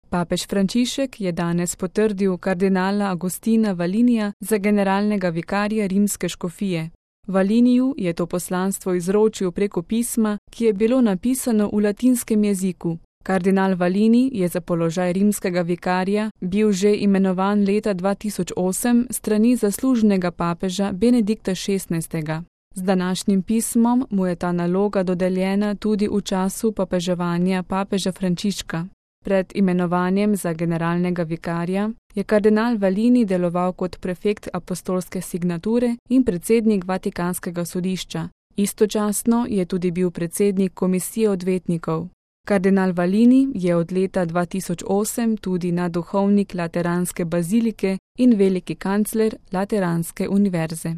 Papež Frančišek je danes potrdil kardinala Agustina Valinija za generalnega vikarja rimske škofije. Valiniju je to poslanstvo izročil preko pisma, ki je bilo napisano v latinskem jeziku. Kardinal Valini je za položaj rimskega vikarja bil že imenovan leta 2008 strani zaslužnega papeža Benedikta XVI. Z današnjim pismom mu je ta naloga dodeljena tudi v času papeževanja papeža Frančiška. Pred imenovanjem za generalnega vikarja je kardinal Valini deloval kot prefekt apostolske signature in predsednik Vatikanskega sodišča. Istočasno je tudi bil predsednik komisije odvetnikov. Kardinal Valini je od leta 2008 tudi naduhovnik Lateranske bazilike in veliki kancler Lateranske univerze.